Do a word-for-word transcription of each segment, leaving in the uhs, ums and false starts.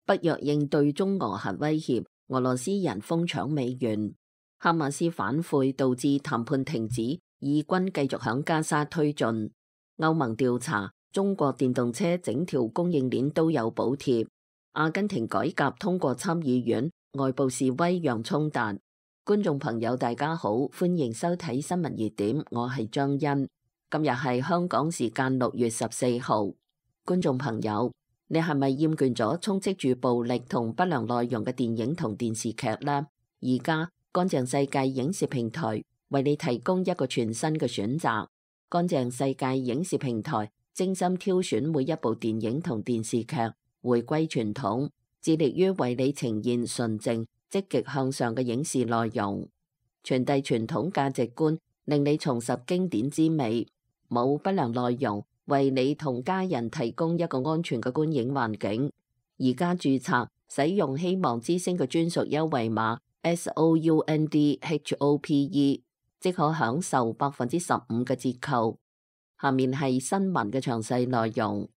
北約應對中俄核威脅，俄羅斯人瘋搶美元。哈馬斯反悔導致談判停止，以軍繼續響加沙推進。歐盟調查中國電動車整條供應鏈都有補貼。阿根廷改革通過參議院，外部示威讓衝突。觀眾朋友大家好，歡迎收睇新聞熱點，我係張欣。今日係香港時間六月十四號。觀眾朋友，你係咪厭倦咗充斥住暴力同不良內容嘅電影同電視劇呢？而家乾淨世界影視平台為你提供一個全新嘅選擇。乾淨世界影視平台精心挑選每一部電影同電視劇，回歸傳統，致力於為你呈現純正、積極向上嘅影視內容，傳遞傳統價值觀，令你重拾經典之美。冇不良內容，為你同家人提供一個安全嘅觀影環境。而家註冊使用希望之聲嘅專屬優惠碼 S O U N D H O P E， 即可享受百分之十五嘅折扣。下面係新聞嘅詳細內容。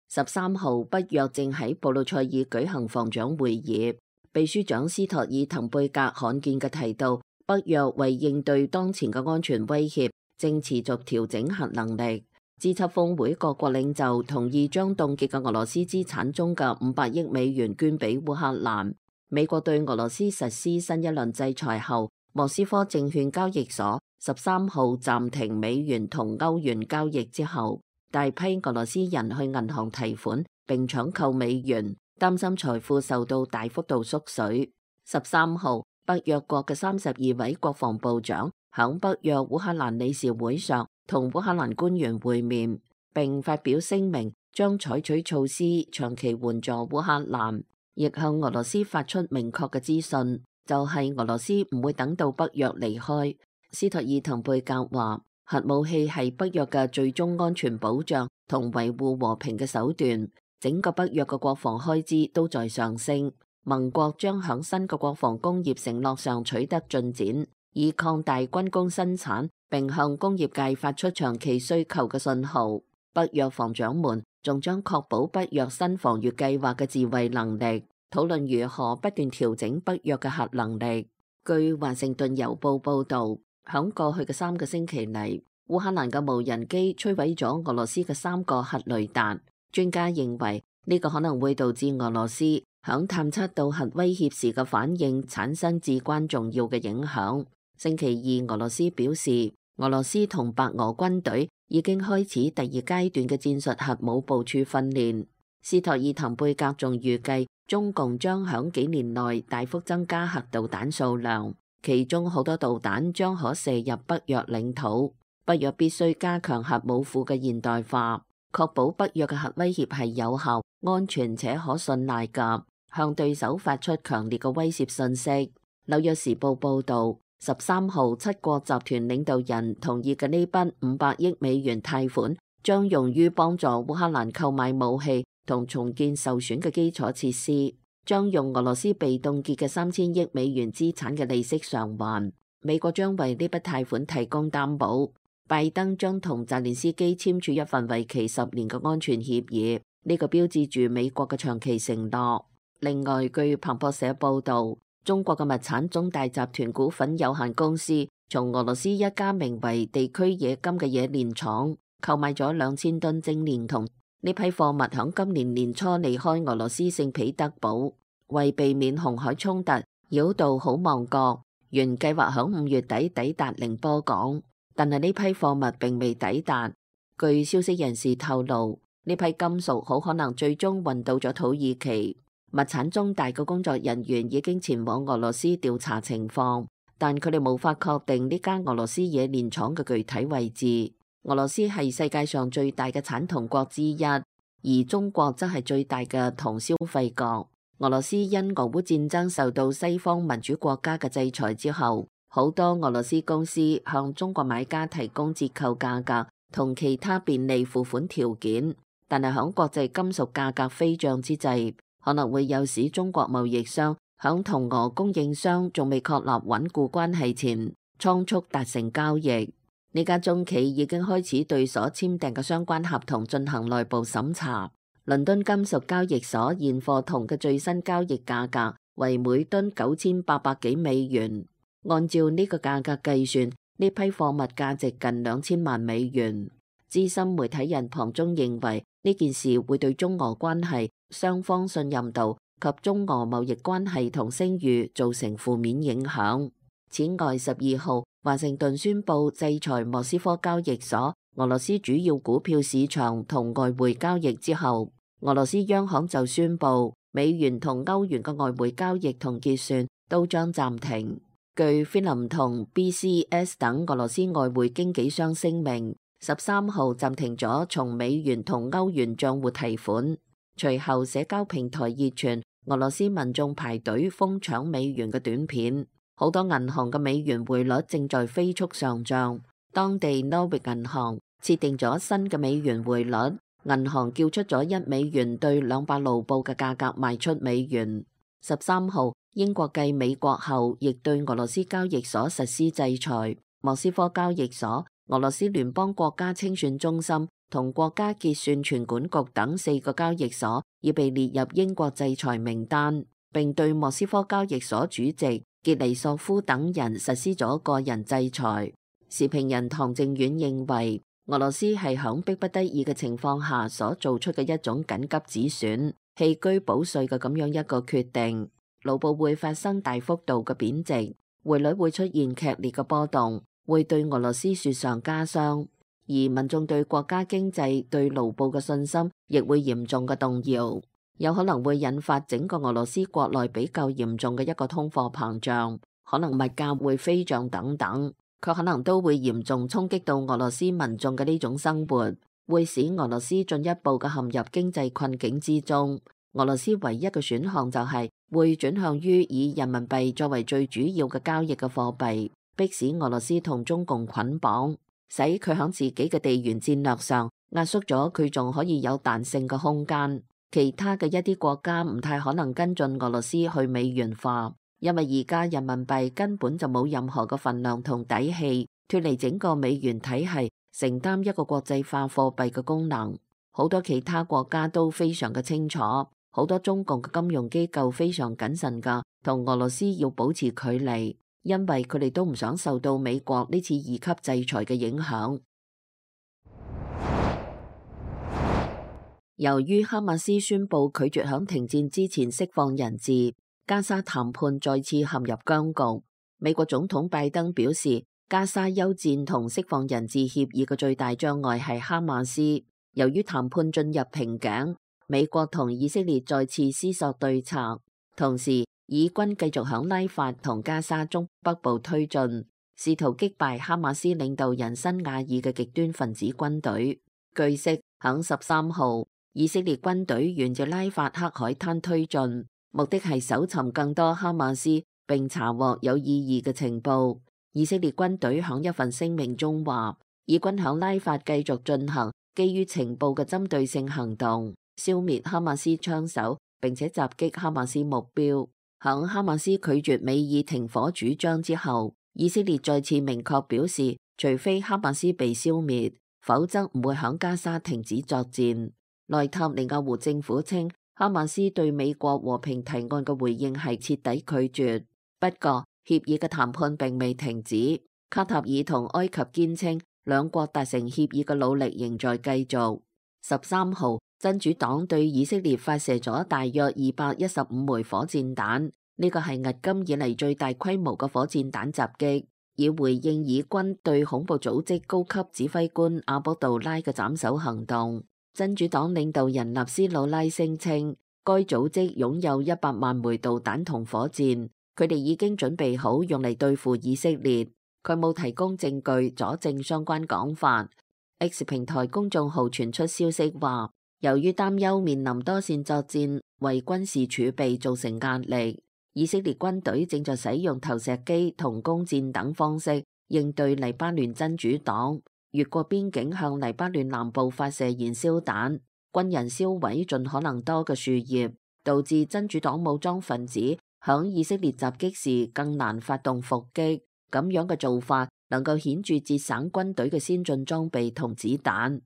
十三號，北約正喺布魯塞爾舉行防長會議，秘書長斯托爾滕貝格罕見嘅提到，北約為應對當前嘅安全威脅，正持續調整核能力。G 七峰會各國領袖同意將凍結嘅俄羅斯資產中嘅五百億美元捐俾烏克蘭。美國對俄羅斯實施新一輪制裁後，莫斯科證券交易所十三號暫停美元同歐元交易之後，大批俄羅斯人去銀行提款並搶購美元，擔心財富受到大幅度縮水。十三號，北約國嘅三十二位國防部長響北約烏克蘭理事會上同烏克蘭官員會面，並發表聲明，將採取措施長期援助烏克蘭，亦向俄羅斯發出明確嘅資訊，就係、是、俄羅斯唔會等到北約離開。斯托爾滕貝格話，核武器係北約嘅最終安全保障同維護和平嘅手段，整個北約嘅國防開支都在上升，盟國將響新嘅國防工業承諾上取得進展，以擴大軍工生產，並向工業界發出長期需求嘅信號。北約防長們仲將確保北約新防禦計劃嘅自衛能力，討論如何不斷調整北約嘅核能力。據華盛頓郵報報道，響過去嘅三個星期嚟，烏克蘭嘅無人機摧毀咗俄羅斯嘅三個核雷達。專家認為呢個可能會導致俄羅斯響探測到核威脅時嘅反應產生至關重要嘅影響。星期二，俄羅斯表示，俄羅斯同白俄軍隊已經開始第二階段嘅戰術核武部署訓練。斯托爾滕貝格仲預計，中共將響幾年內大幅增加核導彈數量，其中好多導彈將可射入北約領土。北約必須加強核武庫嘅現代化，確保北約嘅核威脅係有效、安全且可信賴㗎，向對手發出強烈嘅威懾信息。紐約時報報導，十三號七國集團領導人同意嘅呢筆五百億美元貸款，將用於幫助烏克蘭購買武器同重建受損嘅基礎設施，將用俄羅斯被凍結嘅三千億美元資產嘅利息償還。美國將為呢筆貸款提供擔保。拜登將同澤連斯基簽署一份為期十年嘅安全協議，呢、這個標誌住美國嘅長期承諾。另外，據彭博社報道，中國嘅物產中大集團股份有限公司從俄羅斯一家名為地區冶金嘅冶煉廠購買咗兩千噸精煉銅。呢批貨物響今年年初離開俄羅斯聖彼得堡，為避免紅海衝突繞道好望角，原計劃響五月底抵達寧波港。但係呢批貨物並未抵達。據消息人士透露，呢批金屬好可能最終運到咗土耳其。物產中大嘅工作人員已經前往俄羅斯調查情況，但佢哋無法確定呢間俄羅斯冶煉廠嘅具體位置。俄羅斯係世界上最大嘅產銅國之一，而中國則係最大嘅銅消費國。俄羅斯因俄烏戰爭受到西方民主國家嘅制裁之後，好多俄羅斯公司向中國買家提供折扣價格同其他便利付款條件，但係響國際金屬價格飛漲之際，可能會誘使中國貿易商響同俄供應商仲未確立穩固關係前倉促達成交易。呢家中企已經開始對所簽訂嘅相關合同進行內部審查。倫敦金屬交易所現貨銅嘅最新交易價格為每噸九千八百幾美元，按照呢個價格計算，呢批貨物價值近兩千萬美元。資深媒體人龐中認為呢件事會對中俄關係、雙方信任度及中俄貿易關係同聲譽造成負面影響。此外，十二號華盛頓宣布制裁莫斯科交易所、俄羅斯主要股票市場同外匯交易之後，俄羅斯央行就宣布美元同歐元嘅外匯交易同結算都將暫停。據菲林同 B C S 等俄羅斯外匯經紀商聲明，十三號暫停咗從美元同歐元賬戶提款。隨後社交平台熱傳俄羅斯民眾排隊瘋搶美元嘅短片，好多銀行嘅美元匯率正在飛速上漲。當地 Norwich 銀行設定咗新嘅美元匯率，銀行叫出咗一美元兌兩百盧布嘅價格賣出美元。十三號，英國繼美國後，亦對俄羅斯交易所實施制裁。莫斯科交易所、俄羅斯聯邦國家清算中心同國家結算存管局等四個交易所已被列入英國制裁名單，並對莫斯科交易所主席傑尼索夫等人實施咗個人制裁。時評人唐正遠認為，俄羅斯係響迫不得已嘅情況下所做出嘅一種緊急止損、棄車保帥嘅咁樣一個決定。盧布會發生大幅度嘅貶值，匯率會出現劇烈嘅波動，會對俄羅斯雪上加霜，而民眾對國家經濟、對盧布嘅信心亦會嚴重嘅動搖，有可能會引發整個俄羅斯國內比較嚴重嘅一個通貨膨脹，可能物價會飛漲等等，卻可能都會嚴重衝擊到俄羅斯民眾嘅呢種生活，會使俄羅斯進一步嘅陷入經濟困境之中。俄羅斯唯一嘅選項就係會轉向於以人民幣作為最主要嘅交易嘅貨幣，迫使俄羅斯同中共捆綁，使佢喺自己嘅地緣戰略上壓縮咗佢仲可以有彈性嘅空間。其他嘅一啲國家唔太可能跟進俄羅斯去美元化，因為而家人民幣根本就冇任何嘅份量同底氣脫離整個美元體系，承擔一個國際化貨幣嘅功能。好多其他國家都非常嘅清楚，好多中共嘅金融機構非常謹慎㗎，同俄羅斯要保持距離，因為佢哋都唔想受到美國呢次二級制裁嘅影響。由於哈馬斯宣布拒絕響停戰之前釋放人質，加沙談判再次陷入僵局。美國總統拜登表示，加沙休戰同釋放人質協議嘅最大障礙係哈馬斯。由於談判進入瓶頸，美國同以色列再次思索對策，同時以軍繼續響拉法同加沙中北部推進，試圖擊敗哈馬斯領導人辛瓦爾嘅極端分子軍隊。據悉，響十三號，以色列軍隊沿着拉法黑海灘推進，目的係搜尋更多哈馬斯並查獲有意義嘅情報。以色列軍隊響一份聲明中話，以軍響拉法繼續進行基於情報嘅針對性行動，消滅哈馬斯槍手，並且襲擊哈馬斯目標。響哈馬斯拒絕美以停火主張之後，以色列再次明確表示，除非哈馬斯被消滅，否則唔會響加沙停止作戰。內塔尼亞胡政府稱，哈馬斯對美國和平提案嘅回應係徹底拒絕。不過，協議嘅談判並未停止。卡塔爾同埃及堅稱，兩國達成協議嘅努力仍在繼續。十三號，真主黨對以色列發射咗大約二百一十五枚火箭彈，呢個係迄今以嚟最大規模嘅火箭彈襲擊，以回應以軍對恐怖組織高級指揮官阿卜杜拉嘅斬首行動。真主黨領導人納斯魯拉聲稱，該組織擁有一百萬枚導彈同火箭，佢哋已經準備好用嚟對付以色列。佢冇提供證據佐證相關講法。X 平台公眾號傳出消息話，由於擔憂面臨多線作戰為軍事儲備造成壓力，以色列軍隊正在使用投石機同弓箭等方式應對黎巴嫩真主黨，越過邊境向黎巴嫩南部發射燃燒彈，軍人燒毀盡可能多嘅樹葉，導致真主黨武裝分子響以色列襲擊時更難發動伏擊。咁樣嘅做法能夠顯著節省軍隊嘅先進裝備同子彈。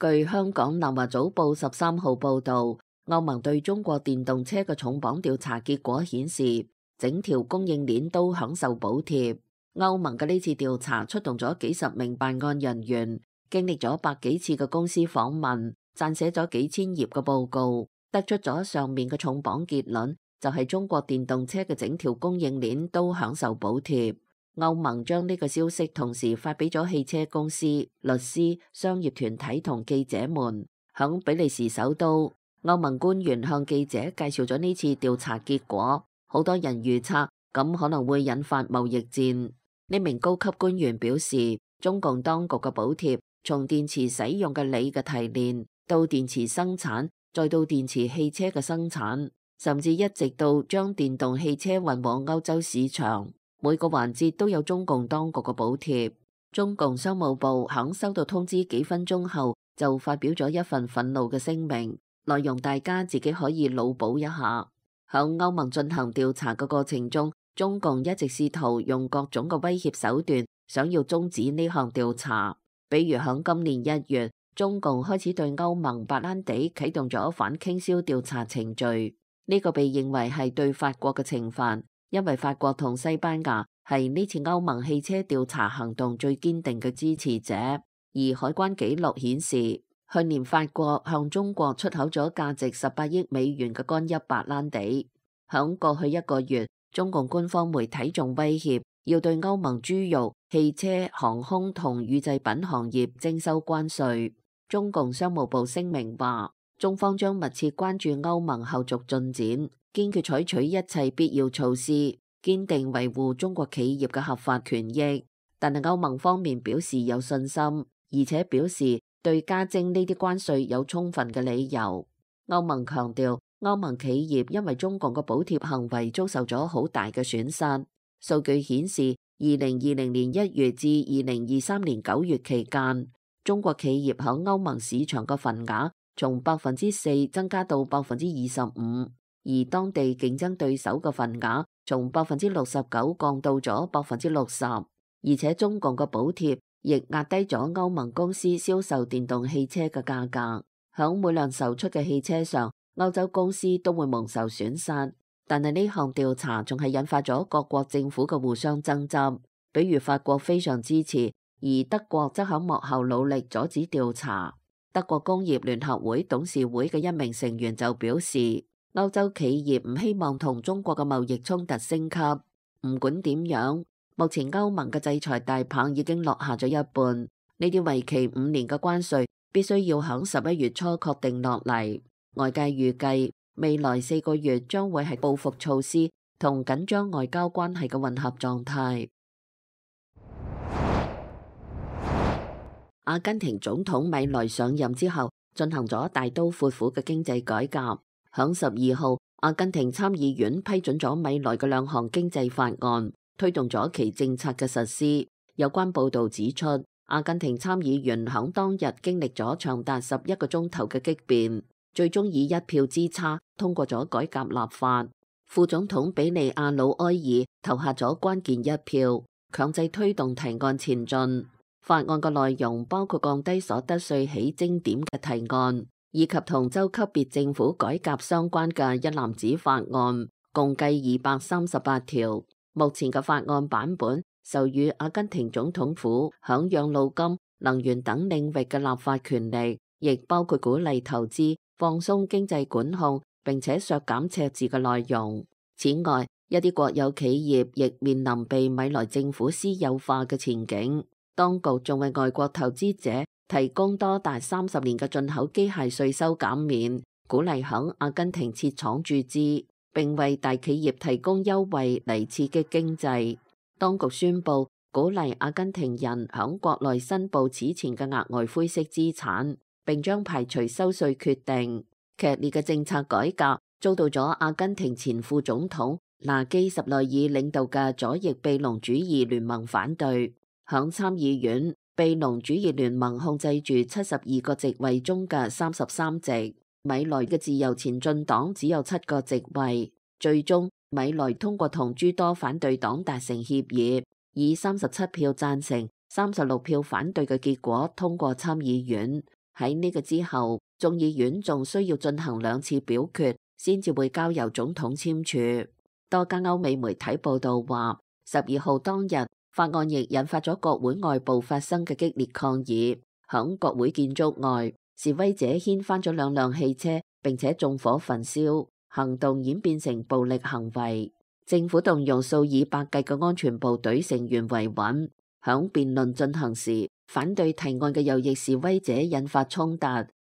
據香港南華早報十三號報導，歐盟對中國電動車嘅重磅調查結果顯示，整條供應鏈都享受補貼。歐盟嘅呢次調查出動咗幾十名辦案人員，經歷咗百幾次嘅公司訪問，撰寫咗幾千頁嘅報告，得出咗上面嘅重磅結論，就係中國電動車嘅整條供應鏈都享受補貼。歐盟將呢個消息同時發俾咗汽車公司、律師、商業團體同記者們。響比利時首都，歐盟官員向記者介紹咗呢次調查結果。好多人預測咁可能會引發貿易戰。呢名高級官員表示，中共當局嘅補貼從電池使用嘅鋰嘅提煉到電池生產，再到電池汽車嘅生產，甚至一直到將電動汽車運往歐洲市場，每個環節都有中共當局嘅補貼。中共商務部響收到通知幾分鐘後就發表咗一份憤怒嘅聲明，內容大家自己可以腦補一下。響歐盟進行調查嘅過程中，中共一直試圖用各種嘅威脅手段，想要終止呢項調查。比如響今年一月，中共開始對歐盟白蘭地啟動咗反傾銷調查程序，呢個被認為係對法國嘅懲罰。因為法國同西班牙係呢次歐盟汽車調查行動最堅定嘅支持者，而海關記錄顯示，去年法國向中國出口咗價值十八億美元嘅干邑白蘭地。響過去一個月，中共官方媒體仲威脅要對歐盟豬肉、汽車、航空同乳製品行業徵收關稅。中共商務部聲明話，中方將密切關注歐盟後續進展，堅決採取一切必要措施，堅定維護中國企業嘅合法權益。但係歐盟方面表示有信心，而且表示對加徵呢啲關稅有充分嘅理由。歐盟強調，歐盟企業因為中共嘅補貼行為遭受咗好大嘅損失。數據顯示，二零二零年一月至二零二三年九月期間，中國企業喺歐盟市場嘅份額從百分之四增加到百分之二十五，而當地競爭對手嘅份額從百分之六十九降到咗百分之六十，而且中共嘅補貼亦壓低咗歐盟公司銷售電動汽車嘅價格。響每輛售出嘅汽車上，歐洲公司都會蒙受損失。但係呢項調查仲係引發咗各國政府嘅互相爭執，比如法國非常支持，而德國則喺幕後努力阻止調查。德國工業聯合會董事會嘅一名成員就表示，歐洲企業唔希望同中國嘅貿易衝突升級。唔管點樣，目前歐盟嘅制裁大棒已經落下咗一半，呢啲為期五年嘅關稅必須要響十一月初確定落嚟。外界預計未來四個月將會係報復措施同緊張外交關係嘅混合狀態。阿根廷總統米萊上任之後，進行咗大刀闊斧嘅經濟改革。響十二號，阿根廷參議院批准咗米萊嘅兩項經濟法案，推動咗其政策嘅實施。有關報道指出，阿根廷參議員響當日經歷咗長達十一個鐘頭嘅激辯，最終以一票之差通過咗改革立法。副總統比利亞魯埃爾投下咗關鍵一票，強制推動提案前進。法案嘅內容包括降低所得稅起徵點嘅提案，以及同州級別政府改革相關嘅一籃子法案，共計二百三十八條。目前嘅法案版本授予阿根廷總統府響養老金、能源等領域嘅立法權力，亦包括鼓勵投資、放鬆經濟管控，並且削減赤字嘅內容。此外，一啲國有企業亦面臨被米萊政府私有化嘅前景。當局仲為外國投資者提供多達三十年嘅進口機械稅收減免，鼓勵響阿根廷設廠注資，並為大企業提供優惠嚟刺激經濟。當局宣布鼓勵阿根廷人響國內申報此前嘅額外灰色資產，並將排除收稅決定。劇烈嘅政策改革遭到咗阿根廷前副總統拿基什內爾領導嘅左翼庇隆主義聯盟反對。響參議院，庇隆主義聯盟控制住七十二個席位中嘅三十三席，米萊嘅自由前進黨只有七個席位。最終，米萊通過同諸多反對黨達成協議，以三十七票贊成、三十六票反對嘅結果通過參議院。喺呢個之後，眾議院仲需要進行兩次表決，先至會交由總統簽署。多家歐美媒體報道話，十二號當日法案亦引發咗國會外部發生嘅激烈抗議。響國會建築外，示威者掀翻咗兩輛汽車，並且縱火焚燒，行動演變成暴力行為。政府動用數以百計嘅安全部隊成員維穩。響辯論進行時，反對提案嘅右翼示威者引發衝突，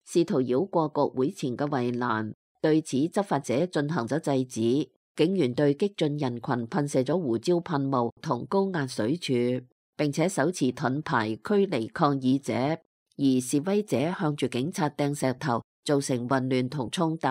試圖繞過國會前嘅圍欄。對此，執法者進行咗制止，警員對激進人群噴射咗胡椒噴霧同高壓水柱，並且手持盾牌驅離抗議者。而示威者向住警察掟石頭，造成混亂同衝突。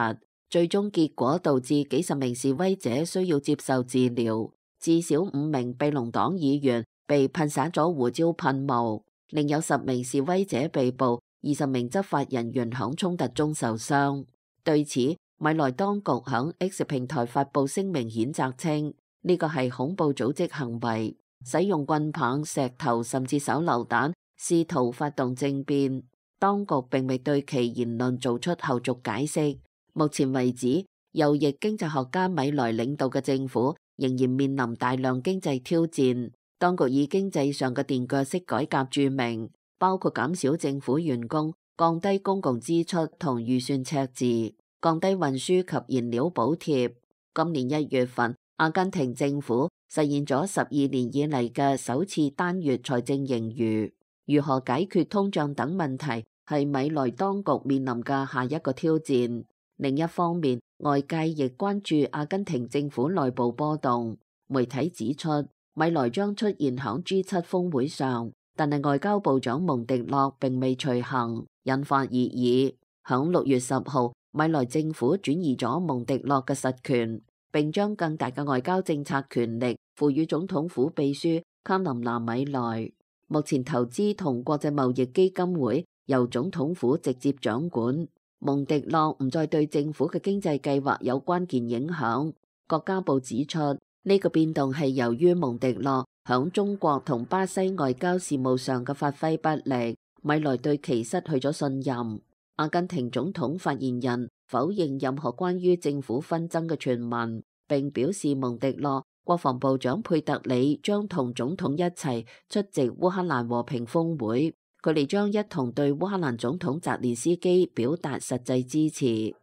最終結果導致幾十名示威者需要接受治療，至少五名庇農黨議員被噴灑咗胡椒噴霧，另有十名示威者被捕，二十名執法人員響衝突中受傷。對此，米萊當局響 X 平台發布聲明譴責稱，呢個係恐怖組織行為，使用棍棒、石頭甚至手榴彈，試圖發動政變。當局並未對其言論做出後續解釋。目前為止，右翼經濟學家米萊領導嘅政府仍然面臨大量經濟挑戰。當局以經濟上嘅墊腳式改革著名，包括減少政府員工、降低公共支出同預算赤字、降低運輸及燃料補貼。今年一月份，阿根廷政府實現咗十二年以嚟嘅首次單月財政盈餘。如何解決通脹等問題，係米萊當局面臨嘅下一個挑戰。另一方面，外界亦關注阿根廷政府內部波動。媒體指出，米萊將出現響 G 七 峰會上，但係外交部長蒙迪諾並未隨行，引發熱議。響六月十號，米萊政府轉移咗蒙迪諾嘅實權，並將更大嘅外交政策權力賦予總統府秘書卡琳娜米萊。目前投資同國際貿易基金會由總統府直接掌管，蒙迪諾唔再對政府嘅經濟計劃有關鍵影響。國家部指出，呢個變動係由於蒙迪諾響中國同巴西外交事務上嘅發揮不力，米萊對其失去咗信任。阿根廷總統發言人否認任何關於政府紛爭嘅傳聞，並表示蒙迪諾、國防部長佩特里將同總統一齊出席烏克蘭和平峰會，佢哋將一同對烏克蘭總統澤連斯基表達實際支持。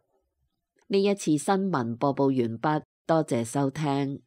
呢一次新聞播報完畢，多謝收聽。